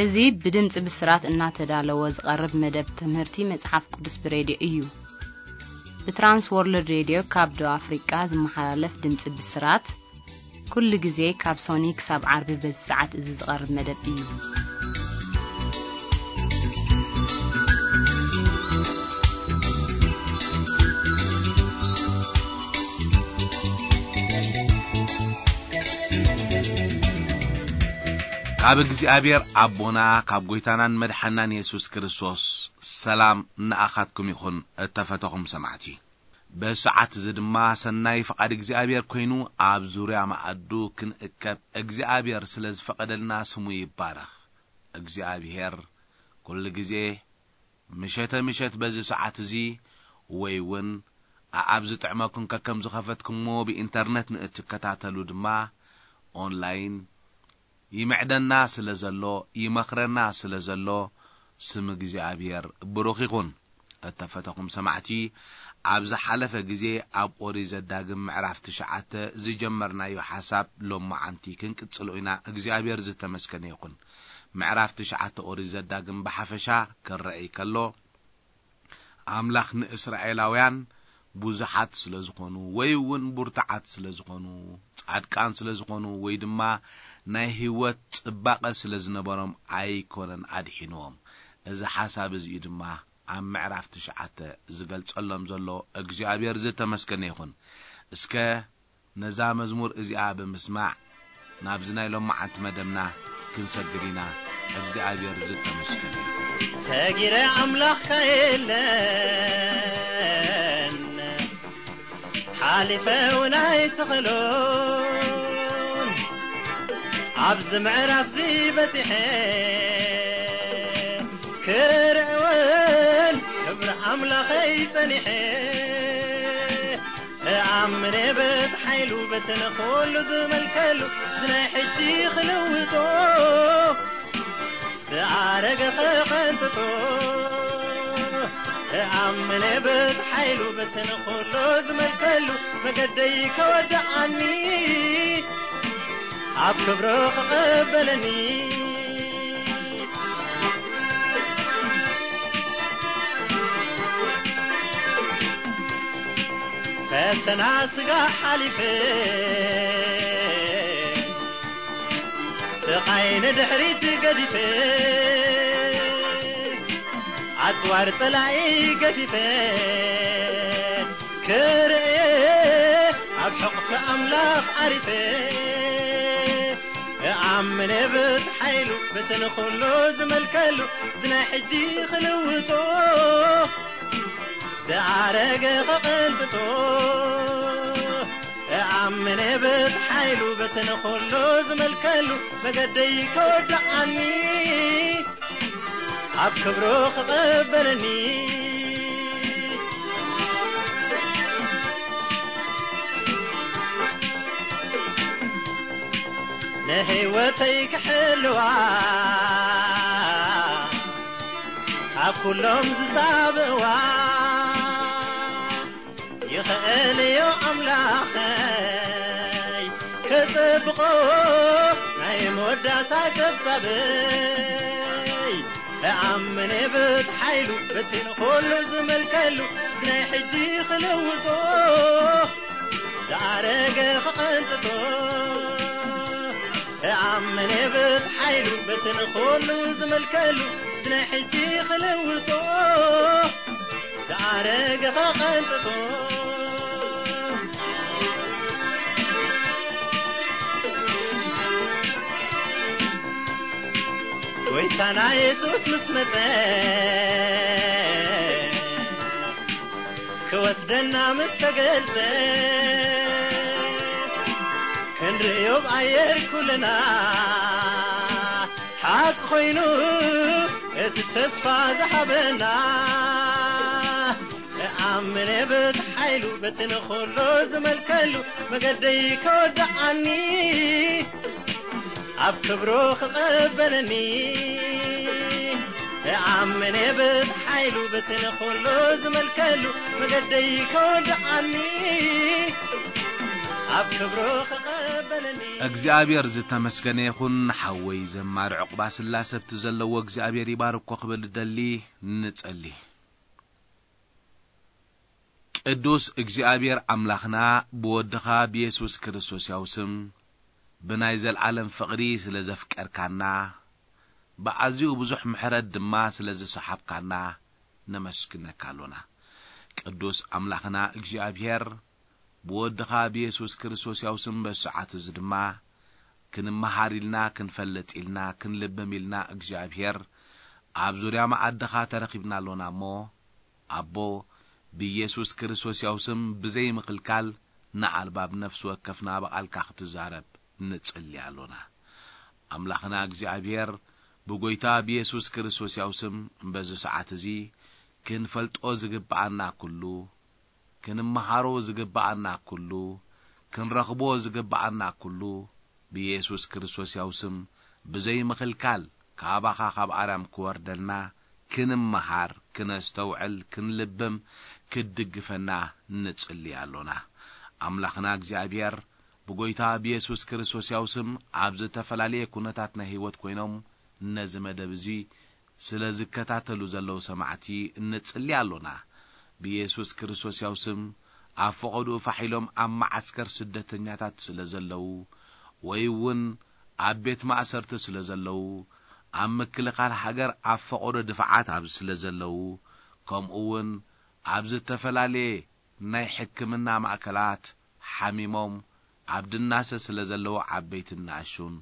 እዚ ብድምጺ ብስራት እናተዳለወ ዝቐርብ መደብ ትምህርቲ መጽሓፍ ቅዱስ ብሬድዮ እዩ። ብትራንስ ወርልድ ሬድዮ ካብ ደቡብ ኣፍሪቃ ዝመሓላለፍ ድምጺ ብስራት፣ ኩሉ ግዜ ካብ ሶኒ ክሳብ ዓርቢ በዚ ሰዓት እዚ ዝቐርብ መደብ እዩ። ካብ እግዚኣብሔር ኣቦና፣ ካብ ጐይታናን መድሓናን የሱስ ክርስቶስ ሰላም ንኣኻትኩም ይኹን፣ እተፈተኹም ሰማዕቲ። በዚ ሰዓት እዚ ድማ ሰናይ ፍቓድ እግዚኣብሔር ኮይኑ፣ ኣብ ዙርያ መኣዱ ክንእከብ እግዚኣብሔር ስለ ዝፈቐደልና ስሙ ይባረኽ። እግዚኣብሔር ኩሉ ግዜ ምሸተ ምሸት በዚ ሰዓት እዚ ወይ እውን ኣኣብ ዝጥዕመኩም ከከም ዝኸፈትኩሞ ብኢንተርነት ንእትከታተሉ ድማ ኦንላይን ይምዕደና ስለ ዘሎ፣ ይመኽረና ስለ ዘሎ፣ ስም እግዚኣብሔር ብሩኽ ይኹን። እተፈተኹም ሰማዕቲ፣ ኣብ ዝሓለፈ ግዜ ኣብ ኦሪት ዘዳግም ምዕራፍ ትሽዓተ ዝጀመርናዮ ሓሳብ ሎማዓንቲ ክንቅጽሎ ኢና። እግዚኣብሔር ዝተመስገነ ይኹን። ምዕራፍ ትሽዓተ ኦሪት ዘዳግም ብሓፈሻ ክረኣይ ከሎ፣ ኣምላኽ ንእስራኤላውያን ብዙሓት ስለ ዝኾኑ፣ ወይ እውን ብርቱዓት ስለ ዝኾኑ፣ ጻድቃን ስለ ዝኾኑ፣ ወይ ድማ ናይ ህይወት ጽባቐ ስለ ዝነበሮም ኣይኮነን ኣድሒንዎም። እዚ ሓሳብ እዚ እዩ ድማ ኣብ ምዕራፍ ትሽዓተ ዝገልጸሎም ዘሎ። እግዚኣብሔር ዝተመስገነ ይኹን። እስከ ነዛ መዝሙር እዚኣ ብምስማዕ ናብዚ ናይ ሎማዓንቲ መደብና ክንሰግድ ኢና። እግዚኣብሔር ዝተመስገነ ይኹን። ሰጊረ ኣምላኽካ የለን፣ ሓሊፈ እውን ኣይትኽእሎን። ኣብዚ ምዕራፍዚ በጺሐ ክርእውን ክብሪ ኣምላኸይ ጸኒሐ እኣምን በቲ ሓይሉ በቲ ንኹሉ ዝመልከሉ እዚ ናይ ሕጂ ክልውጦ ዝኣረገ ኸቐንጥጦ እኣምን በቲ ሓይሉ በቲ ንኹሉ ዝመልከሉ መገደይ ከወድኣኒ ኣብ ክብሩ ክቐበለኒ ፈተና ስጋ ሓሊፈ ስቓይ ንድሕሪት ገዲፈ ኣጽዋር ጸላኢ ገፊፈ ክርእየ ኣብ ሕቕፊ ኣምላኽ ዓሪፈ እኣምን ብቲ ሓይሉ በቲ ንኹሉ ዝመልከሉ እዚ ናይ ሕጂ ክልውጦ ዝኣረገ ኸቐንጥጦ እኣምን ብቲ ሓይሉ በቲ ንኹሉ ዝመልከሉ መገደይ ከወድኣኒ ኣብ ክብሩ ክቐበለኒ ንህይወተይ ክሕልዋ ካብ ኩሎም ዝጻብእዋ ይኽእል እዩ ኣምላኸይ ክጽብቖ ናይ መወዳእታ ጸብጻበይ እኣምን ብቲ ሓይሉ በቲ ንኹሉ ዝመልከሉ እዚ ናይ ሕጂ ክልውጦ ዝኣረገ ክቐንጥጦ እኣምን ብቲ ሓይሉ በቲ ንኹሉ ዝመልከሉ እዚ ናይ ሕጂ ክልውጦ ዝኣረገ ኸቐንጥጦ ጎይታና የሱስ ምስ መጸ ክወስደና ምስ ተገልጸ ክንርእዮ ብኣየር ኩልና ሓቂ ኮይኑ እቲ ተስፋ ዝሃበና እኣምን በቲ ሓይሉ በቲ ንኹሉ ዝመልከሉ መገደይ ከወድኣኒ ኣብ ክብሩ ክቐበለኒ እኣምን በቲ ሓይሉ በቲ ንኹሉ ዝመልከሉ መገደይ ከወድኣኒ ኣብ ክብሩ ክቐበለኒ እግዚኣብሔር ዝተመስገነ ይኹን። ሓወይ ዘማሪ ዕቑባ ስላሰ ብቲ ዘለዎ እግዚኣብሔር ይባርኮ ክብል ደሊ። ንጸሊ። ቅዱስ እግዚኣብሔር ኣምላኽና፣ ብወድኻ ብየሱስ ክርስቶስ ያው ስም ብናይ ዘልዓለም ፍቕሪ ስለ ዘፍቀርካና፣ ብኣዝዩ ብዙሕ ምሕረት ድማ ስለ ዝሰሓብካና ነመስግነካ ኣሎና። ቅዱስ ኣምላኽና እግዚኣብሔር፣ ብወድኻ ብየሱስ ክርስቶስ ያው ስም በዚ ሰዓት እዚ ድማ ክንመሃር ኢልና፣ ክንፈልጥ ኢልና፣ ክንልብም ኢልና እግዚኣብሔር ኣብ ዙርያ መኣድኻ ተረኺብና ኣሎና እሞ፣ ኣቦ፣ ብየሱስ ክርስቶስ ያው ስም ብዘይ ምኽልካል ንኣልባብ ነፍሲ ወከፍና ብቓልካ ክትዛረብ ንጽሊ ኣሎና። ኣምላኽና እግዚኣብሔር፣ ብጎይታ ብየሱስ ክርስቶስ ያው ስም በዚ ሰዓት እዚ ክንፈልጦ ዝግብኣና ኩሉ፣ ክንመሃሮ ዝግብኣና ኩሉ፣ ክንረኽቦ ዝግብኣና ኩሉ፣ ብየሱስ ክርስቶስ ያው ስም ብዘይ ምኽልካል ካባኻ ካብ ኣርያም ክወርደልና፣ ክንመሃር፣ ክነስተውዕል፣ ክንልብም፣ ክትድግፈና ንጽሊ ኣሎና። ኣምላኽና እግዚኣብሔር፣ ብጎይታ ብየሱስ ክርስቶስ ያው ስም ኣብ ዝተፈላለየ ኩነታት ናይ ህይወት ኮይኖም ነዚ መደብ እዚ ስለ ዝከታተሉ ዘለዉ ሰማዕቲ እንጽሊ ኣሎና። ብየሱስ ክርስቶስ ያው ስም ኣብ ፈቐድኡ ፋሕ ኢሎም ኣብ መዓስከር ስደተኛታት ስለ ዘለዉ፣ ወይ እውን ኣብ ቤት ማእሰርቲ ስለ ዘለዉ፣ ኣብ ምክልኻል ሃገር ኣብ ፈቐዶ ድፋዓት ኣብ ስለ ዘለዉ፣ ከምኡ እውን ኣብ ዝተፈላለየ ናይ ሕክምና ማእከላት ሓሚሞም ኣብ ድናሰ ስለ ዘለዉ ዓበይትን ንኣሹን፣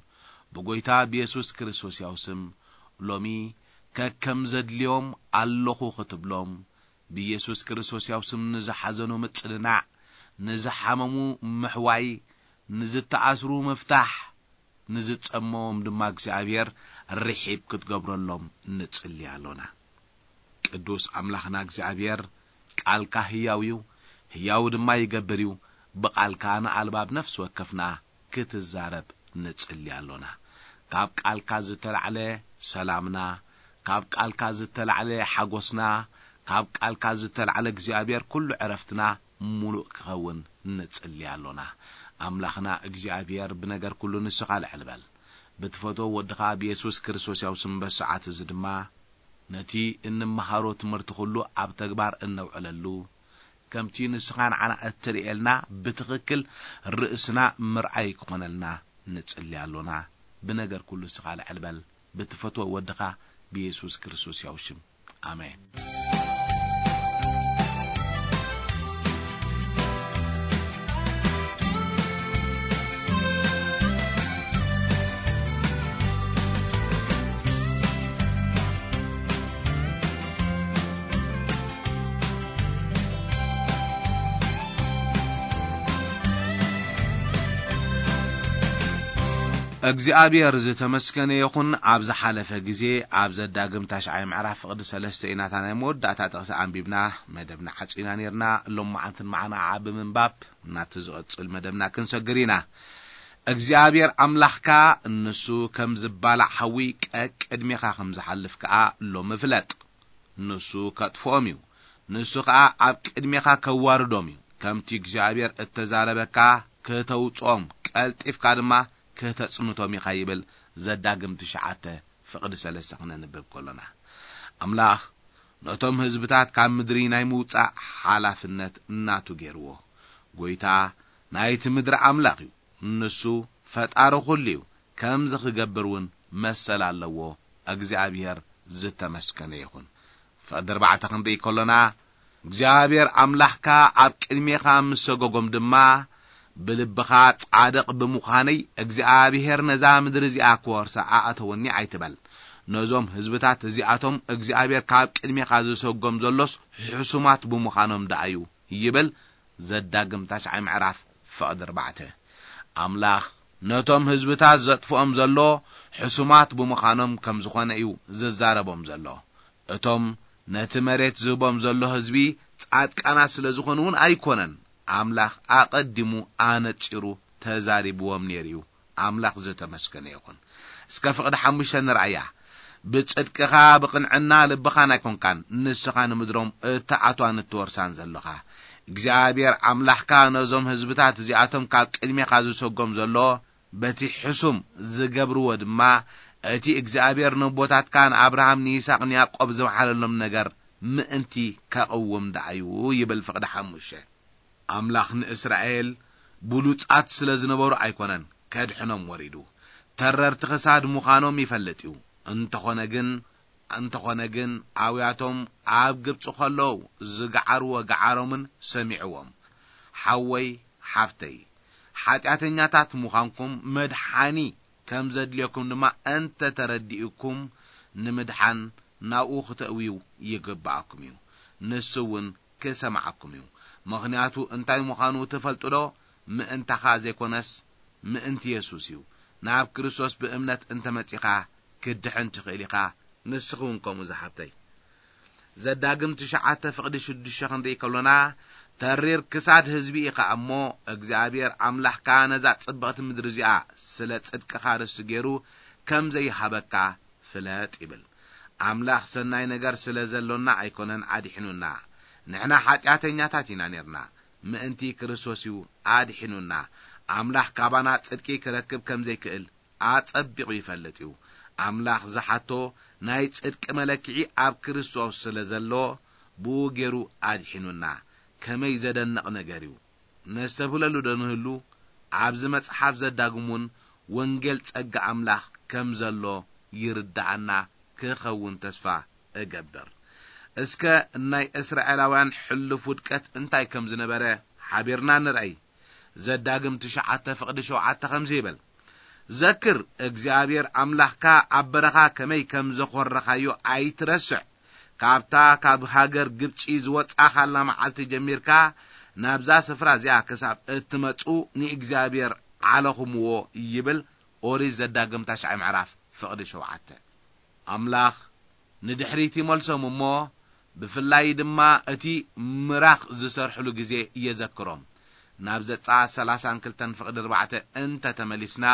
ብጎይታ ብየሱስ ክርስቶስ ያው ስም ሎሚ ከከም ዘድልዮም ኣለኹ ክትብሎም፣ ብየሱስ ክርስቶስ ያው ስም ንዝሓዘኑ ምጽንናዕ፣ ንዝሓመሙ ምሕዋይ፣ ንዝተኣስሩ ምፍታሕ፣ ንዝጸመዎም ድማ እግዚኣብሔር ርሒብ ክትገብረሎም ንጽሊ ኣሎና። ቅዱስ ኣምላኽና እግዚኣብሔር፣ ቃልካ ህያው እዩ፣ ህያው ድማ ይገብር እዩ። ብቓልካ ንኣልባብ ነፍሲ ወከፍና ክትዛረብ ንጽሊ ኣሎና። ካብ ቃልካ ዝተላዕለ ሰላምና፣ ካብ ቃልካ ዝተላዕለ ሓጎስና፣ ካብ ቃልካ ዝተላዕለ እግዚኣብሔር ኩሉ ዕረፍትና ምሉእ ክኸውን ንጽሊ ኣሎና። ኣምላኽና እግዚኣብሔር፣ ብነገር ኩሉ ንስኻ ልዕል በል። ብትፈትዎ ወድኻ ብየሱስ ክርስቶስ ያው ስም በሰዓት እዚ ድማ ነቲ እንመሃሮ ትምህርቲ ኩሉ ኣብ ተግባር እነውዕለሉ፣ ከምቲ ንስኻ ንዓና እትርእየልና ብትኽክል ርእስና ምርኣይ ክኾነልና ንጽሊ ኣሎና። ብነገር ኩሉ ንስኻ ልዕል በል። ብትፈትዎ ወድኻ ብየሱስ ክርስቶስ ያው ሽም። ኣሜን። እግዚኣብሔር ዝተመስገነ ይኹን። ኣብ ዝሓለፈ ግዜ ኣብ ዘዳግም ታሽዓይ ምዕራፍ ፍቕዲ ሰለስተ ኢና እታ ናይ መወዳእታ ጥቕሲ ኣንቢብና መደብና ዓጺና ነርና። ሎማዓንትን መዓና ዓዓ ብምንባብ ናብቲ ዝቕጽል መደብና ክንሰግር ኢና። እግዚኣብሔር ኣምላኽካ ንሱ ከም ዝባላዕ ሓዊ ቀቅድሜኻ ከም ዝሓልፍ ከኣ ሎሚ ፍለጥ። ንሱ ከጥፍኦም እዩ። ንሱ ኸኣ ኣብ ቅድሜኻ ከዋርዶም እዩ። ከምቲ እግዚኣብሔር እተዛረበካ ክተውጽኦም፣ ቀልጢፍካ ድማ ክተጽንቶም ኢኻ ይብል ዘዳግም ትሽዓተ ፍቕዲ ሰለስተ ክነንብብ ከሎና። ኣምላኽ ነቶም ህዝብታት ካብ ምድሪ ናይ ምውጻእ ሓላፍነት ናቱ ገይርዎ። ጐይታ ናይቲ ምድሪ ኣምላኽ እዩ። ንሱ ፈጣሪ ኩሉ እዩ። ከምዚ ክገብር እውን መሰል ኣለዎ። እግዚኣብሔር ዝተመስገነ ይኹን። ፍቕዲ ኣርባዕተ ክንርኢ ከሎና፣ እግዚኣብሔር ኣምላኽካ ኣብ ቅድሜኻ ምስ ሰጎጎም ድማ፣ ብልብኻ ጻድቕ ብምዃነይ እግዚኣብሔር ነዛ ምድሪ እዚኣ ክወርሳ ኣእተወኒ ኣይትበል። ነዞም ህዝብታት እዚኣቶም እግዚኣብሔር ካብ ቅድሜኻ ዝሰጎም ዘሎስ ሕሱማት ብምዃኖም ደኣ እዩ ይብል። ዘዳግም ታሽዓይ ምዕራፍ ፍቕዲ ኣርባዕተ። ኣምላኽ ነቶም ህዝብታት ዘጥፍኦም ዘሎ ሕሱማት ብምዃኖም ከም ዝኾነ እዩ ዝዛረቦም ዘሎ። እቶም ነቲ መሬት ዝህቦም ዘሎ ህዝቢ ጻድቃናት ስለ ዝኾኑ እውን ኣይኮነን። ኣምላኽ ኣቐዲሙ ኣነጺሩ ተዛሪብዎም ነይሩ እዩ። ኣምላኽ ዝተመስገነ ይኹን። እስከ ፍቕዲ ሓሙሽተ ንርኣያ። ብጽድቅኻ ብቕንዕና ልብኻን ኣይኮንካን ንስኻ ንምድሮም እትኣትዋን እትወርሳን ዘለኻ። እግዚኣብሔር ኣምላኽካ ነዞም ህዝብታት እዚኣቶም ካብ ቅድሜኻ ዝሰጎም ዘሎ፣ በቲ ሕሱም ዝገብርዎ ድማ፣ እቲ እግዚኣብሔር ንቦታትካ ንኣብርሃም፣ ንይስሐቅ፣ ንያዕቆብ ዝመሓለሎም ነገር ምእንቲ ከቕውም ደኣዩ ይብል ፍቕዲ ሓሙሽተ። ኣምላኽ ንእስራኤል ብሉጻት ስለ ዝነበሩ ኣይኮነን ከድሕኖም ወሪዱ። ተረርቲ ክሳድ ምዃኖም ይፈልጥ እዩ። እንተኾነ ግን፣ እንተኾነ ግን ኣውያቶም ኣብ ግብጺ ከለዉ ዝገዓርዎ ገዓሮምን ሰሚዕዎም። ሓወይ፣ ሓፍተይ፣ ሓጢኣተኛታት ምዃንኩም መድሓኒ ከም ዘድልየኩም ድማ እንተ ተረዲእኩም፣ ንምድሓን ናብኡ ክተእውዩ ይግብኣኩም እዩ። ንሱ እውን ክሰምዓኩም እዩ። ምኽንያቱ እንታይ ምዃኑ ትፈልጡ ዶ? ምእንታኻ ዘይኮነስ ምእንቲ የሱስ እዩ። ናብ ክርስቶስ ብእምነት እንተመጺኻ ክትድሕን ትኽእል ኢኻ። ንስኺ እውን ከምኡ ዝሓብተይ። ዘዳግም ትሽዓተ ፍቕዲ ሽዱሽተ ክንርኢ ከሎና፣ ተሪር ክሳድ ህዝቢ ኢኻ እሞ፣ እግዚኣብሔር ኣምላኽካ ነዛ ጽብቕቲ ምድሪ እዚኣ ስለ ጽድቅኻ ርስቲ ገይሩ ከም ዘይሃበካ ፍለጥ ይብል። ኣምላኽ ሰናይ ነገር ስለ ዘሎና ኣይኮነን ኣድሒኑና። ንሕና ሓጢኣተኛታት ኢና ኔርና፣ ምእንቲ ክርስቶስ እዩ ኣድሒኑና። ኣምላኽ ካባና ጽድቂ ክረክብ ከም ዘይክእል ኣጸቢቑ ይፈልጥ እዩ። ኣምላኽ ዝሓቶ ናይ ጽድቂ መለክዒ ኣብ ክርስቶስ ስለ ዘሎ፣ ብኡ ገይሩ ኣድሒኑና። ከመይ ዘደንቕ ነገር እዩ! ነስተብህለሉ ዶ ንህሉ? ኣብዚ መጽሓፍ ዘዳግም እውን ወንጌል ጸጋ ኣምላኽ ከም ዘሎ ይርድኣና ክኸውን ተስፋ እገብር። እስከ ናይ እስራኤላውያን ሕሉፍ ውድቀት እንታይ ከም ዝነበረ ሓቢርና ንርኣይ። ዘዳግም ትሽዓተ ፍቕዲ ሸውዓተ ከምዚ ይብል፣ ዘክር፣ እግዚኣብሔር ኣምላኽካ ኣብ በረኻ ከመይ ከም ዘኾረኻዮ ኣይትረስዕ። ካብታ ካብ ሃገር ግብጺ ዝወጻኻላ መዓልቲ ጀሚርካ ናብዛ ስፍራ እዚኣ ክሳብ እትመጹ ንእግዚኣብሔር ዓለኹምዎ ይብል ኦሪት ዘዳግም ታሽዓይ ምዕራፍ ፍቕዲ ሸውዓተ። ኣምላኽ ንድሕሪት ይመልሶም እሞ፣ ብፍላይ ድማ እቲ ምራኽ ዝሰርሕሉ ግዜ የዘክሮም። ናብ ዘጸኣት ሰላሳን ክልተን ፍቕዲ ኣርባዕተ እንተ ተመሊስና፣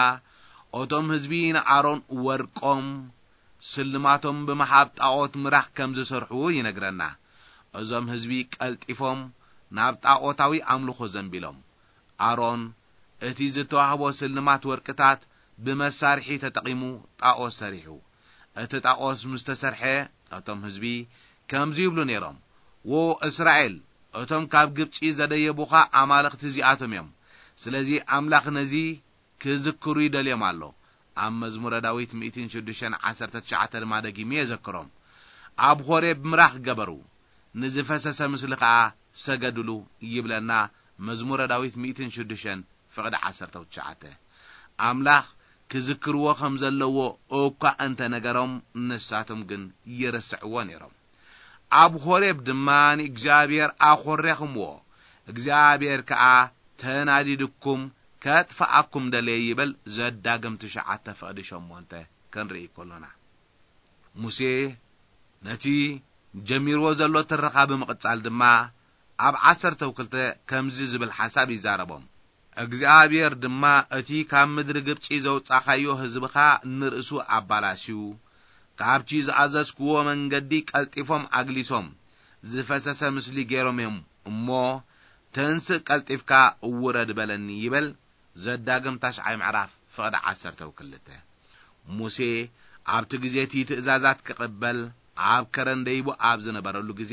እቶም ህዝቢ ንኣሮን ወርቆም ስልማቶም ብምሃብ ጣዖት ምራኽ ከም ዝሰርሑ ይነግረና። እዞም ህዝቢ ቀልጢፎም ናብ ጣዖታዊ ኣምልኾ ዘንቢሎም። ኣሮን እቲ ዝተዋህቦ ስልማት ወርቅታት ብመሳርሒ ተጠቒሙ ጣዖት ሰሪሑ። እቲ ጣዖት ምስ ተሰርሐ፣ እቶም ህዝቢ ከምዚ ይብሉ ነይሮም፣ "ዎ እስራኤል፣ እቶም ካብ ግብጺ ዘደየቡኻ ኣማልኽቲ እዚኣቶም እዮም። ስለዚ ኣምላኽ ነዚ ክዝክሩ ይደልዮም ኣሎ።" ኣብ መዝሙረ ዳዊት ሚእትን ሽዱሽተን ዓሰርተ ትሽዓተ ድማ ደጊሙ የዘክሮም። ኣብ ሆሬብ ምራኽ ገበሩ፣ ንዝፈሰሰ ምስሊ ኸኣ ሰገድሉ ይብለና መዝሙረ ዳዊት ሚእትን ሽዱሽተን ፍቕዲ ዓሰርተ ትሽዓተ። ኣምላኽ ክዝክርዎ ከም ዘለዎ እኳ እንተ ነገሮም፣ ንሳቶም ግን ይርስዕዎ ነይሮም። ኣብ ሆሬብ ድማ ንእግዚኣብሔር ኣኾሬኽምዎ፣ እግዚኣብሔር ከኣ ተናዲድኩም ከጥፍኣኩም ደለየ ይብል ዘዳግም ትሽዓተ ፍቕዲ ሸሞንተ ክንርኢ ከሎና። ሙሴ ነቲ ጀሚርዎ ዘሎ ትረኻ ብምቕጻል ድማ ኣብ ዓሰርተው ክልተ ከምዚ ዝብል ሓሳብ ይዛረቦም። እግዚኣብሔር ድማ እቲ ካብ ምድሪ ግብጺ ዘውጻኻዮ ህዝብኻ ንርእሱ ኣባላሽዩ፣ ካብቲ ዝኣዘዝክዎ መንገዲ ቀልጢፎም ኣግሊሶም፣ ዝፈሰሰ ምስሊ ገይሮም እዮም እሞ፣ ተንስእ ቀልጢፍካ ውረድ በለኒ ይበል። ዘዳግም ታሽዓይ ምዕራፍ ፍቕዲ ዓሰርተው ክልተ። ሙሴ ኣብቲ ግዜ እቲ ትእዛዛት ክቕበል ኣብ ከረን ደይቡ ኣብ ዝነበረሉ ግዜ፣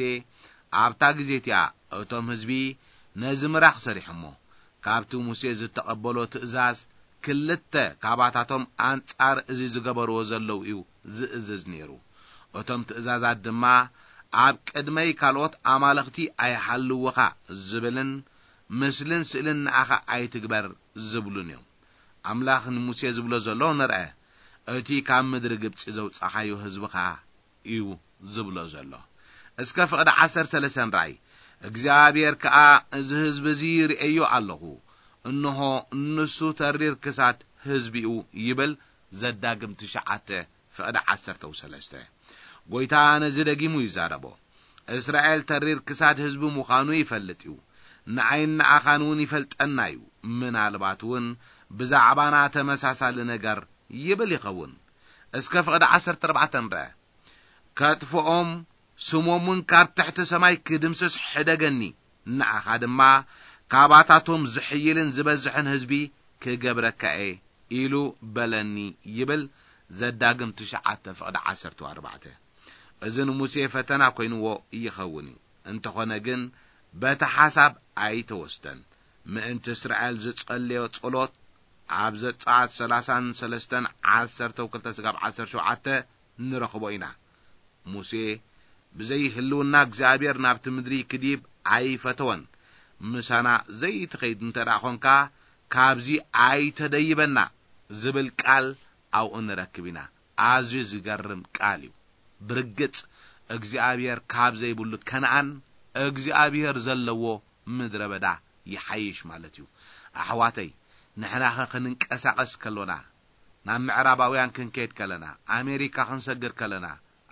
ኣብታ ግዜ እቲኣ እቶም ህዝቢ ነዚ ምራኽ ሰሪሖሞ። ካብቲ ሙሴ ዝተቐበሎ ትእዛዝ ክልተ ካባታቶም ኣንጻር እዚ ዝገበርዎ ዘለዉ እዩ ዝእዝዝ ነይሩ። እቶም ትእዛዛት ድማ፣ "ኣብ ቅድመይ ካልኦት ኣማልኽቲ ኣይሃልውኻ" ዝብልን "ምስልን ስእልን ንኣኻ ኣይትግበር" ዝብሉን እዮም። ኣምላኽ ንሙሴ ዝብሎ ዘሎ ንርአ፣ "እቲ ካብ ምድሪ ግብጺ ዘውጻኻዮ ህዝብኻ እዩ" ዝብሎ ዘሎ። እስከ ፍቕዲ ዓሰርተ ሰለስተ ንርኣይ። እግዚኣብሔር ከኣ፣ "እዚ ህዝቢ እዚ ርእዮ ኣለኹ፣ እንሆ፣ ንሱ ተሪር ክሳድ ህዝቢ'ዩ" ይብል። ዘዳግም ትሽዓተ ፍቕዲ ዓሰርተው ሰለስተ። ጐይታ ነዚ ደጊሙ ይዛረቦ። እስራኤል ተሪር ክሳድ ህዝቢ ምዃኑ ይፈልጥ እዩ። ንዓይን ንኣኻን እውን ይፈልጠና እዩ። ምናልባት እውን ብዛዕባና ተመሳሳሊ ነገር ይብል ይኸውን። እስከ ፍቕዲ ዓሰርተ ኣርባዕተ ንርአ። "ከጥፍኦም፣ ስሞም እውን ካብ ትሕቲ ሰማይ ክድምስስ ሕደገኒ" ንኣኻ ድማ ካባታቶም ዝሕይልን ዝበዝሕን ህዝቢ ክገብረካ እየ ኢሉ በለኒ ይብል። ዘዳግም ትሽዓተ ፍቕዲ ዓሰርተ ኣርባዕተ። እዚ ንሙሴ ፈተና ኮይንዎ ይኸውን እዩ። እንተኾነ ግን በቲ ሓሳብ ኣይተወስደን። ምእንቲ እስራኤል ዝጸለዮ ጸሎት ኣብ ዘጸኣት ሰላሳን ሰለስተን ዓሰርተ ክልተ ስጋብ ዓሰርተ ሸውዓተ ንረኽቦ ኢና። ሙሴ ብዘይ ህልውና እግዚኣብሔር ናብቲ ምድሪ ክዲብ ኣይፈተወን። ምሳና ዘይትኸይድ እንተ ደኣ ኾንካ፣ ካብዚ ኣይተደይበና ዝብል ቃል ኣብኡ ንረክብ ኢና። ኣዝዩ ዝገርም ቃል እዩ። ብርግጽ እግዚኣብሔር ካብ ዘይብሉ ከነኣን እግዚኣብሔር ዘለዎ ምድረ በዳ ይሓይሽ ማለት እዩ። ኣሕዋተይ፣ ንሕናኸ ክንንቀሳቐስ ከሎና፣ ናብ ምዕራባውያን ክንከይድ ከለና፣ ኣሜሪካ ክንሰግር ከለና፣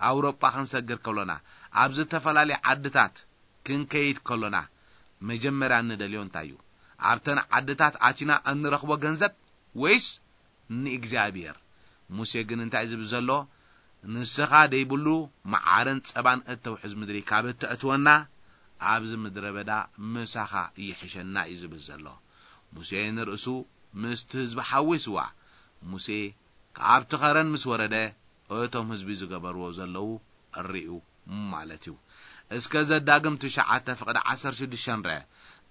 ኣውሮጳ ክንሰግር ከሎና፣ ኣብ ዝተፈላለየ ዓድታት ክንከይድ ከሎና፣ መጀመርያ እንደልዮ እንታይ እዩ? ኣብተን ዓድታት ኣቲና እንረኽቦ ገንዘብ ወይስ ንእግዚኣብሔር? ሙሴ ግን እንታይ ዝብል ዘሎ? ንስኻ ደይብሉ መዓርን ጸባን እተውሕዝ ምድሪ ካብ እተእትወና፣ ኣብዚ ምድረ በዳ ምሳኻ ይሕሸና እዩ ዝብል ዘሎ። ሙሴ ንርእሱ ምስቲ ህዝቢ ሓዊስዋ። ሙሴ ካብቲ ኸረን ምስ ወረደ፣ እቶም ህዝቢ ዝገበርዎ ዘለዉ ርእዩ ማለት እዩ። እስከ ዘዳግም ትሽዓተ ፍቕዲ ዓሰርተ ሽዱሽተ ንርአ።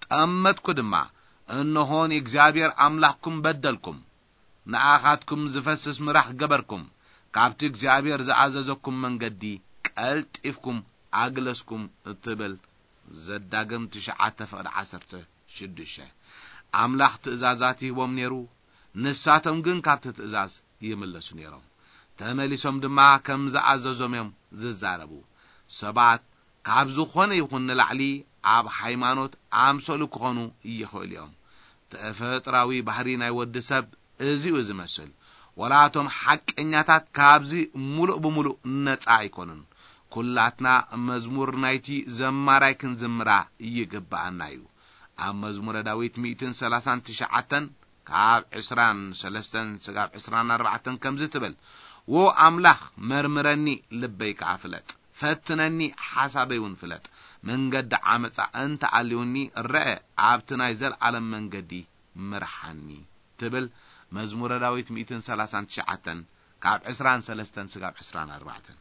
ጠመትኩ ድማ፣ እንሆ ንእግዚኣብሔር ኣምላኽኩም በደልኩም፣ ንኣኻትኩም ዝፈስስ ምራኽ ገበርኩም፣ ካብቲ እግዚኣብሔር ዝኣዘዘኩም መንገዲ ቀልጢፍኩም ኣግለስኩም እትብል ዘዳግም ትሽዓተ ፍቕዲ ዓሰርተ ሽዱሽተ። ኣምላኽ ትእዛዛት ይህቦም ነይሩ፣ ንሳቶም ግን ካብቲ ትእዛዝ ይምለሱ ነይሮም። ተመሊሶም ድማ ከም ዝኣዘዞም እዮም ዝዛረቡ። ሰባት ካብ ዝኾነ ይኹን ንላዕሊ ኣብ ሃይማኖት ኣምሰሉ ክኾኑ ይኽእሉ እዮም። ተፈጥራዊ ባህሪ ናይ ወዲ ሰብ እዚኡ ዝመስል። ወላ እቶም ሓቀኛታት ካብዚ ሙሉእ ብሙሉእ ነጻ ኣይኮኑን። ኩላትና መዝሙር ናይቲ ዘማራይ ክንዝምራ ይግብኣና እዩ። ኣብ መዝሙረ ዳዊት ሚእትን ሰላሳን ትሽዓተን ካብ ዕስራን ሰለስተን ስጋብ ዕስራን ኣርባዕተን ከምዚ ትብል፣ "ዎ ኣምላኽ፣ መርምረኒ፣ ልበይ ከኣ ፍለጥ፣ ፈትነኒ፣ ሓሳበይ እውን ፍለጥ። መንገዲ ዓመጻ እንተ ኣልዩኒ፣ ረአ፣ ኣብቲ ናይ ዘለኣለም መንገዲ ምርሓኒ" ትብል መዝሙረ ዳዊት ሚእትን ሰላሳን ትሽዓተን ካብ ዕስራን ሰለስተን ስጋብ ዕስራን ኣርባዕተን።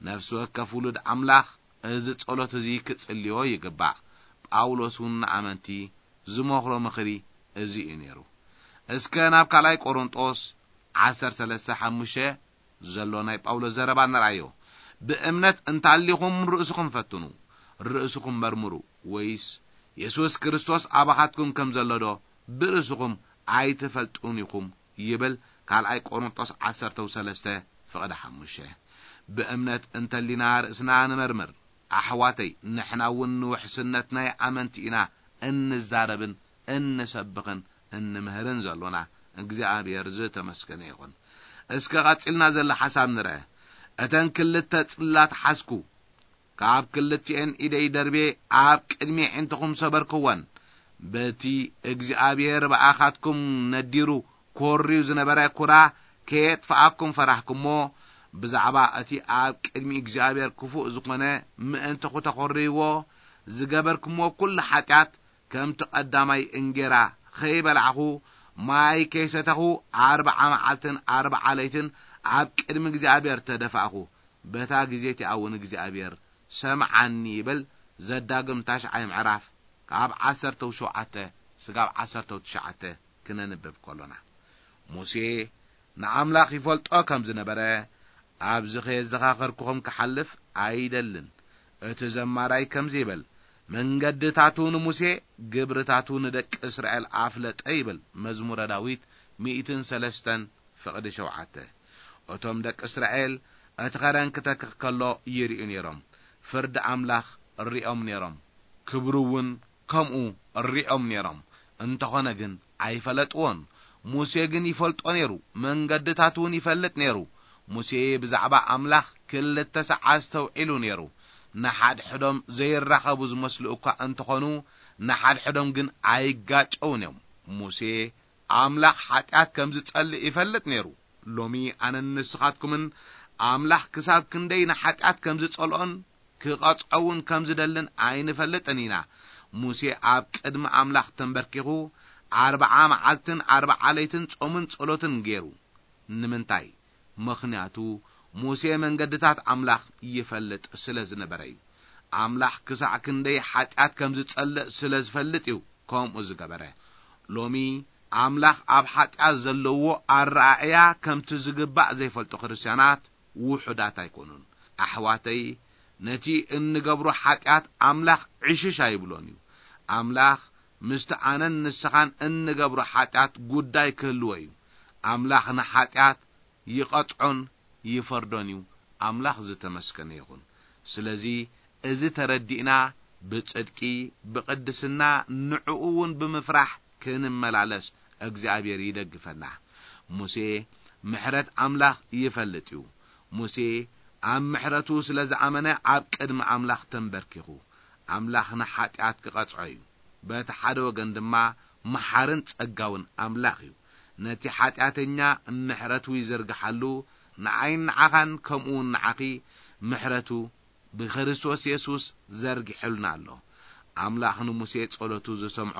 ነፍሲ ወከፍ ውሉድ ኣምላኽ እዚ ጸሎት እዚ ክጽልዮ ይግባእ። ጳውሎስ እውን ንኣመንቲ ዝመኽሮ ምኽሪ እዚ እዩ ነይሩ። እስከ ናብ ካልኣይ ቆሮንጦስ ዓሰርተ ሰለስተ ሓሙሽተ ዘሎ ናይ ጳውሎስ ዘረባ ንርኣዮ። "ብእምነት እንታሊኹም ርእስኹም ፈትኑ፣ ርእስኹም መርምሩ፣ ወይስ የሱስ ክርስቶስ ኣባኻትኩም ከም ዘሎ ዶ ብርእስኹም ኣይትፈልጡን ኢኹም?" ይብል ካልኣይ ቆሮንጦስ ዓሰርተ ሰለስተ ፍቕዲ ሓሙሽተ። ብእምነት እንተሊና ርእስና ንመርምር። ኣሕዋተይ፣ ንሕና እውን ንውሕስነት ናይ ኣመንቲ ኢና እንዛረብን እንሰብኽን እንምህርን ዘሎና። እግዚኣብሔር ዝተመስገነ ይኹን። እስከ ቀጺልና ዘሎ ሓሳብ ንርአ። "እተን ክልተ ጽላት ሓዝኩ፣ ካብ ክልቲኤን ኢደይ ደርቤ ኣብ ቅድሚ ኣዒንትኹም ሰበርክወን። በቲ እግዚኣብሔር ብኣኻትኩም ነዲሩ ኮርዩ ዝነበረ ኩራ ከየጥፍኣኩም ፈራህኩሞ፣ ብዛዕባ እቲ ኣብ ቅድሚ እግዚኣብሔር ክፉእ ዝኾነ ምእንቲ ኹተኾርይዎ ዝገበርኩሞ ኩሉ ሓጢኣት፣ ከምቲ ቀዳማይ እንጌራ ኸይበላዕኹ፣ ማይ ከይሰተኹ፣ ኣርብዓ መዓልትን ኣርብዓ ለይትን ኣብ ቅድሚ እግዚኣብሔር ተደፋእኹ። በታ ግዜ እቲኣ እውን እግዚኣብሔር ሰምዓኒ" ይብል። ዘዳግም ታሽዓይ ምዕራፍ ካብ ዓሰርተ ሸውዓተ ስጋብ ዓሰርተ ትሽዓተ ክነንብብ ከሎና፣ ሙሴ ንኣምላኽ ይፈልጦ ከም ዝነበረ፣ "ኣብዚ ከየዘኻኸርኩኹም ክሓልፍ ኣይደልን።" እቲ ዘማራይ ከምዚ ይብል፣ "መንገድታቱ ንሙሴ፣ ግብርታቱ ንደቂ እስራኤል ኣፍለጠ" ይብል መዝሙረ ዳዊት ሚእትን ሰለስተን ፍቕዲ ሸውዓተ። እቶም ደቂ እስራኤል እቲ ኸረን ክተክኽ ከሎ ይርእዩ ነይሮም። ፍርዲ ኣምላኽ ሪኦም ነይሮም። ክብሩ እውን ከምኡ ሪኦም ነይሮም። እንተኾነ ግን ኣይፈለጥዎን። ሙሴ ግን ይፈልጦ ነይሩ፣ መንገድታት እውን ይፈልጥ ነይሩ። ሙሴ ብዛዕባ ኣምላኽ ክልተ ሰዓት ኣስተውዒሉ ነይሩ። ንሓድሕዶም ዘይራኸቡ ዝመስሉ እኳ እንተኾኑ፣ ንሓድሕዶም ግን ኣይጋጨውን እዮም። ሙሴ ኣምላኽ ሓጢኣት ከም ዝጸልእ ይፈልጥ ነይሩ። ሎሚ ኣነን ንስኻትኩምን ኣምላኽ ክሳብ ክንደይ ንሓጢኣት ከም ዝጸልኦን ክቐጽዖ እውን ከም ዝደልን ኣይንፈልጥን ኢና። ሙሴ ኣብ ቅድሚ ኣምላኽ ተንበርኪኹ ኣርብዓ መዓልትን ኣርብዓ ለይትን ጾምን ጸሎትን ገይሩ። ንምንታይ? ምኽንያቱ ሙሴ መንገድታት ኣምላኽ ይፈልጥ ስለ ዝነበረ እዩ። ኣምላኽ ክሳዕ ክንደይ ሓጢኣት ከም ዝጸልእ ስለ ዝፈልጥ እዩ ከምኡ ዝገበረ። ሎሚ ኣምላኽ ኣብ ሓጢኣት ዘለዎ ኣረኣእያ ከምቲ ዝግባእ ዘይፈልጡ ክርስትያናት ውሑዳት ኣይኮኑን። ኣሕዋተይ፣ ነቲ እንገብሮ ሓጢኣት ኣምላኽ ዕሽሽ ኣይብሎን እዩ። ኣምላኽ ምስቲ ኣነን ንስኻን እንገብሮ ሓጢኣት ጉዳይ ክህልዎ እዩ። ኣምላኽ ንሓጢኣት ይቐጽዖን ይፈርዶን እዩ። ኣምላኽ ዝተመስገነ ይኹን። ስለዚ እዚ ተረዲእና ብጽድቂ፣ ብቕድስና፣ ንዕኡ እውን ብምፍራሕ ክንመላለስ እግዚኣብሔር ይደግፈና። ሙሴ ምሕረት ኣምላኽ ይፈልጥ እዩ። ሙሴ ኣብ ምሕረቱ ስለ ዝኣመነ ኣብ ቅድሚ ኣምላኽ ተንበርኪኹ ኣምላኽ ንሓጢኣት ክቐጽዖ እዩ። በቲ ሓደ ወገን ድማ መሓርን ጸጋውን ኣምላኽ እዩ። ነቲ ሓጢኣተኛ ምሕረቱ ይዝርግሓሉ፣ ንዓይን ንዓኻን ከምኡ እውን ንዓኺ ምሕረቱ ብክርስቶስ የሱስ ዘርጊሑልና ኣሎ። ኣምላኽ ንሙሴ ጸሎቱ ዝሰምዖ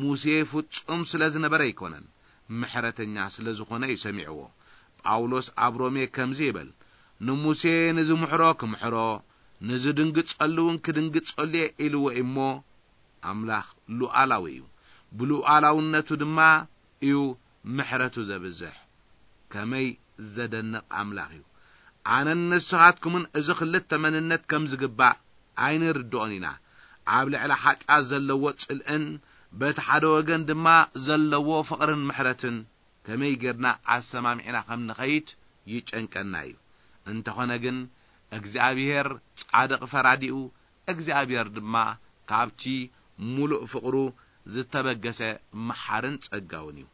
ሙሴ ፍጹም ስለ ዝነበረ ኣይኮነን፣ ምሕረተኛ ስለ ዝኾነ እዩ ሰሚዕዎ። ጳውሎስ ኣብ ሮሜ ከምዚ ይብል፣ "ንሙሴ ንዝምሕሮ ክምሕሮ፣ ንዝድንግጸሉ እውን ክድንግጸሉ እየ" ኢልዎ እሞ፣ ኣምላኽ ሉዓላዊ እዩ፣ ብሉዓላውነቱ ድማ እዩ ምሕረቱ ዘብዝሕ። ከመይ ዘደንቕ ኣምላኽ እዩ! ኣነን ንስኻትኩምን እዚ ክልተ መንነት ከም ዝግባእ ኣይንርድኦን ኢና። ኣብ ልዕሊ ሓጢኣት ዘለዎ ጽልእን በቲ ሓደ ወገን ድማ ዘለዎ ፍቕርን ምሕረትን ከመይ ጌርና ኣሰማሚዕና ከም ንኸይድ ይጨንቀና እዩ። እንተኾነ ግን እግዚኣብሔር ጻድቕ ፈራዲኡ፣ እግዚኣብሔር ድማ ካብቲ ሙሉእ ፍቕሩ ዝተበገሰ መሓርን ጸጋውን እዩ።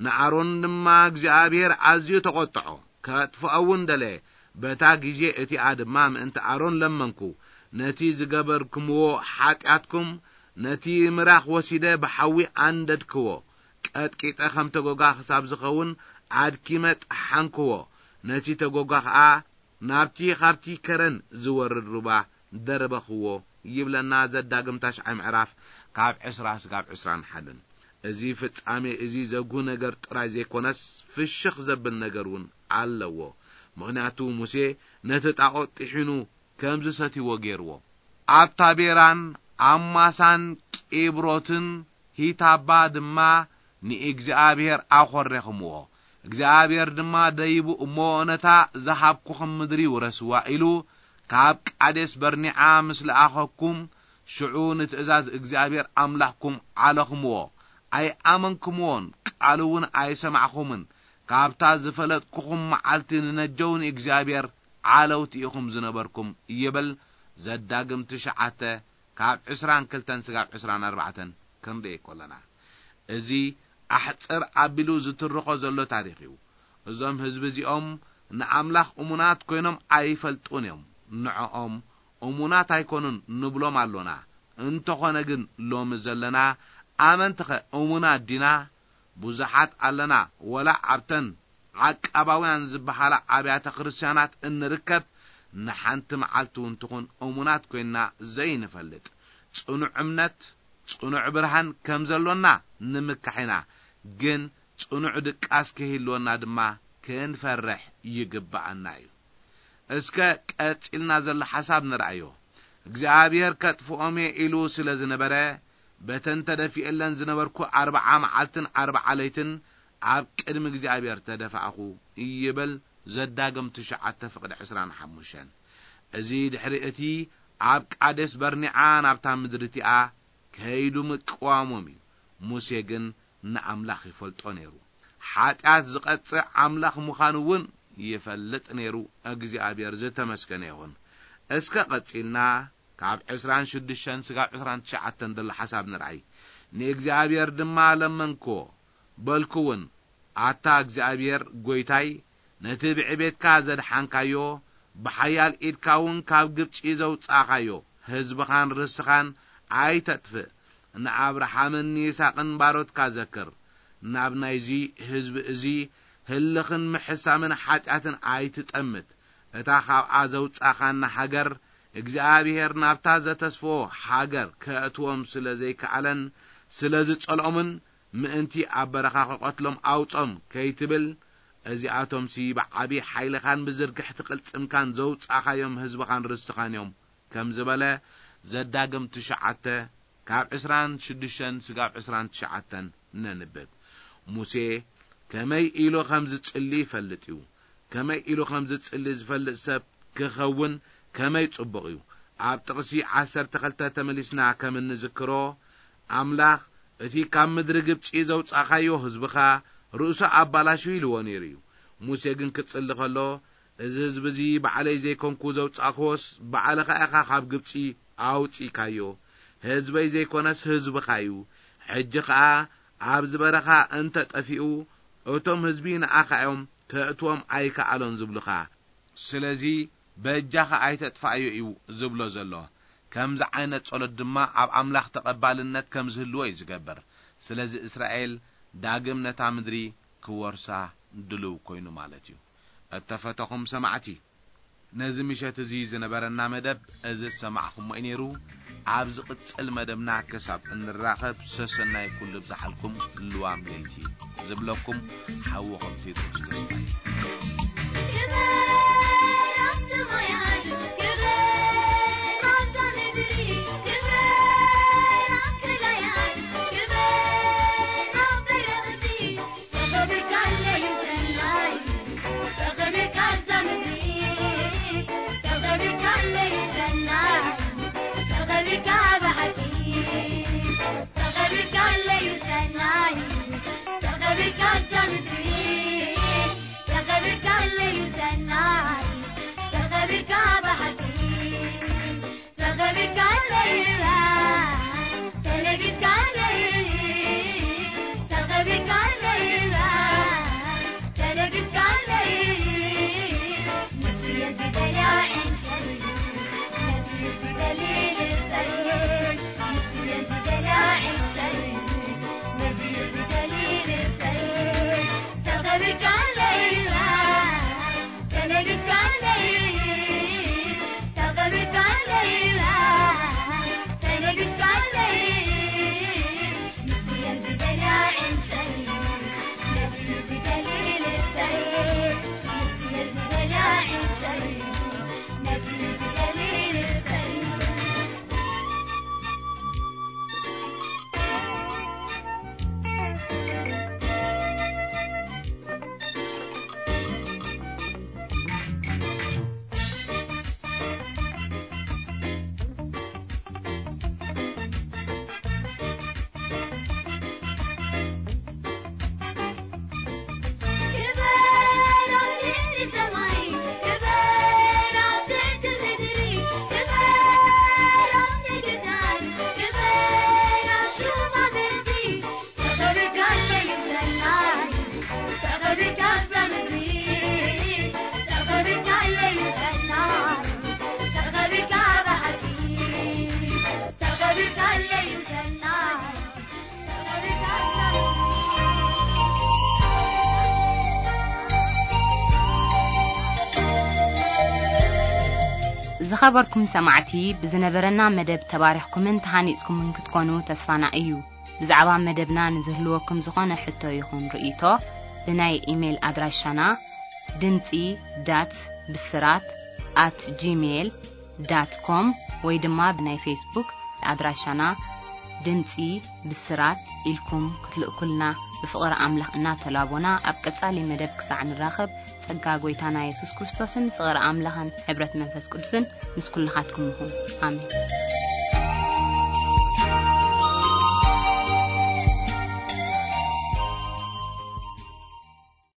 ንኣሮን ድማ እግዚኣብሔር ኣዝዩ ተቖጥዖ፣ ከጥፍኦ እውን ደለየ። በታ ግዜ እቲኣ ድማ ምእንቲ ኣሮን ለመንኩ፣ ነቲ ዝገበርኩምዎ ሓጢኣትኩም፣ ነቲ ምራኽ ወሲደ ብሓዊ ኣንደድክዎ፣ ቀጥቂጠ ከም ተጎጋ ክሳብ ዝኸውን ኣድኪመ ጠሓንክዎ፣ ነቲ ተጎጋ ኸኣ ናብቲ ኻብቲ ከረን ዝወርድ ሩባ ደርበኽዎ ይብለና ዘዳግም ታሽዓይ ምዕራፍ ካብ ዕስራ ስጋብ ዕስራን ሓደን። እዚ ፍጻሜ እዚ ዘጉህ ነገር ጥራይ ዘይኮነስ ፍሽኽ ዘብል ነገር እውን ኣለዎ። ምኽንያቱ ሙሴ ነቲ ጣዖት ጥሒኑ ከም ዝሰትይዎ ገይርዎ። ኣብ ታቤራን ኣብ ማሳን ቂብሮትን ሂታባ ድማ ንእግዚኣብሔር ኣኾሬኽምዎ። እግዚኣብሔር ድማ ደይቡ እሞ ነታ ዝሃብኩኹም ምድሪ ውረስዋ ኢሉ ካብ ቃዴስ በርኒዓ ምስ ለኣኸኩም ሽዑ ንትእዛዝ እግዚኣብሔር ኣምላኽኩም ዓለኽምዎ። ኣይኣመንክምዎን፣ ቃሉ እውን ኣይሰማዕኹምን። ካብታ ዝፈለጥኩኹም መዓልቲ ንነጀው ንእግዚኣብሔር ዓለውቲ ኢኹም ዝነበርኩም ይብል። ዘዳግም ትሽዓተ ካብ ዕስራን ክልተን ስጋብ ዕስራን ኣርባዕተን ክንርኢ ከለና፣ እዚ ኣሕጽር ኣቢሉ ዝትርኾ ዘሎ ታሪኽ እዩ። እዞም ህዝቢ እዚኦም ንኣምላኽ እሙናት ኮይኖም ኣይፈልጡን እዮም። ንዕኦም እሙናት ኣይኮኑን ንብሎም ኣሎና። እንተኾነ ግን ሎሚ ዘለና ኣመንትኸ እሙናት ዲና? ብዙሓት ኣለና፣ ወላ ኣብተን ዓቃባውያን ዝበሃላ ኣብያተ ክርስቲያናት እንርከብ ንሓንቲ መዓልቲ እውን ትኹን እሙናት ኮይንና ዘይንፈልጥ። ጽኑዕ እምነት፣ ጽኑዕ ብርሃን ከም ዘሎና ንምካሕ ኢና፣ ግን ጽኑዕ ድቃስ ክህልወና ድማ ክንፈርሕ ይግብኣና እዩ። እስከ ቀጺልና ዘሎ ሓሳብ ንርኣዮ። እግዚኣብሔር ከጥፍኦም እየ ኢሉ ስለ ዝነበረ፣ በተን ተደፊኤለን ዝነበርኩ ኣርብዓ መዓልትን ኣርብዓ ለይትን ኣብ ቅድሚ እግዚኣብሔር ተደፋእኹ ይብል ዘዳግም ትሽዓተ ፍቕዲ ዕስራን ሓሙሽተን። እዚ ድሕሪ እቲ ኣብ ቃዴስ በርኒዓ ናብታ ምድሪ እቲኣ ከይዱ ምቅዋሞም እዩ። ሙሴ ግን ንኣምላኽ ይፈልጦ ነይሩ። ሓጢኣት ዝቐጽዕ ኣምላኽ ምዃኑ እውን ይፈልጥ ነይሩ። እግዚኣብሔር ዝተመስገነ ይኹን። እስከ ቀጺልና ካብ ዕስራን ሽዱሽተን ስጋብ ዕስራን ትሽዓተን ዘሎ ሓሳብ ንርኣይ። ንእግዚኣብሔር ድማ ለመንክዎ፣ በልኩ እውን፣ ኣታ እግዚኣብሔር ጐይታይ፣ ነቲ ብዕቤትካ ዘድሓንካዮ፣ ብሓያል ኢድካ እውን ካብ ግብጺ ዘውጻእካዮ ህዝብኻን ርስኻን ኣይተጥፍእ። ንኣብርሃምን ንይስሐቅን ባሮትካ ዘክር። ናብ ናይዚ ህዝቢ እዚ ህልኽን ምሕሳምን ሓጢኣትን ኣይትጠምት። እታ ካብኣ ዘውጻእካና ሃገር እግዚኣብሔር ናብታ ዘተስፍዎ ሃገር ከእትዎም ስለ ዘይከኣለን ስለ ዝጸልኦምን ምእንቲ ኣብ በረኻ ክቐትሎም ኣውጾም ከይትብል፣ እዚኣቶምሲ ብዓቢ ሓይልኻን ብዝርግሕቲ ቅልጽምካን ዘውጻእካዮም ህዝብኻን ርስትኻን እዮም ከም ዝበለ ዘዳግም ትሽዓተ ካብ ዕስራን ሽዱሽተን ስጋብ ዕስራን ትሽዓተን ነንብብ። ሙሴ ከመይ ኢሉ ከም ዝጽሊ ይፈልጥ እዩ። ከመይ ኢሉ ከም ዝጽሊ ዝፈልጥ ሰብ ክኸውን ከመይ ጽቡቕ እዩ። ኣብ ጥቕሲ ዓሰርተ ክልተ ተመሊስና ከም እንዝክሮ፣ ኣምላኽ እቲ ካብ ምድሪ ግብጺ ዘውጻእካዮ ህዝብኻ ርእሱ ኣባላሹ ኢልዎ ነይሩ እዩ። ሙሴ ግን ክጽሊ ከሎ፣ እዚ ህዝቢ እዚ ባዕለይ ዘይኮንኩ ዘውጻእክዎስ፣ ባዕልኻ ኢኻ ካብ ግብጺ ኣውጺእካዮ። ህዝበይ ዘይኮነስ ህዝብኻ እዩ። ሕጂ ኸኣ ኣብዚ በረኻ እንተ ጠፊኡ፣ እቶም ህዝቢ ንኣኻ እዮም፣ ከእትዎም ኣይከኣሎን ዝብሉኻ። ስለዚ በጃኻ ኣይተጥፍኣዮ እዩ ዝብሎ ዘሎ። ከምዚ ዓይነት ጸሎት ድማ ኣብ ኣምላኽ ተቐባልነት ከም ዝህልዎ እዩ ዝገብር። ስለዚ እስራኤል ዳግም ነታ ምድሪ ክወርሳ ድልው ኮይኑ ማለት እዩ። እተፈተኹም ሰማዕቲ፣ ነዚ ምሸት እዚ ዝነበረና መደብ እዚ ዝሰማዕኹሞ እዩ ነይሩ። ኣብ ዝቕጽል መደብና ክሳብ እንራኸብ ሰሰናይ ኩሉ ብዝሓልኩም ልዋም ለይቲ ዝብለኩም ሓውኹም ቴድሮስ ተስፋይ። ዝኸበርኩም ሰማዕቲ፣ ብዝነበረና መደብ ተባሪኽኩምን ተሃኒጽኩምን ክትኮኑ ተስፋና እዩ። ብዛዕባ መደብና ንዝህልወኩም ዝኾነ ሕቶ ይኹን ርእይቶ፣ ብናይ ኢሜይል ኣድራሻና ድምጺ ዳት ብስራት ኣት ጂሜይል ዳት ኮም ወይ ድማ ብናይ ፌስቡክ ኣድራሻና ድምጺ ብስራት ኢልኩም ክትልእኩልና ብፍቕሪ ኣምላኽ እናተላቦና፣ ኣብ ቀጻሊ መደብ ክሳዕ ንራኸብ፣ ጸጋ ጐይታና የሱስ ክርስቶስን ፍቕሪ ኣምላኽን ሕብረት መንፈስ ቅዱስን ምስ ኩልኻትኩም ይኹን። ኣሜን።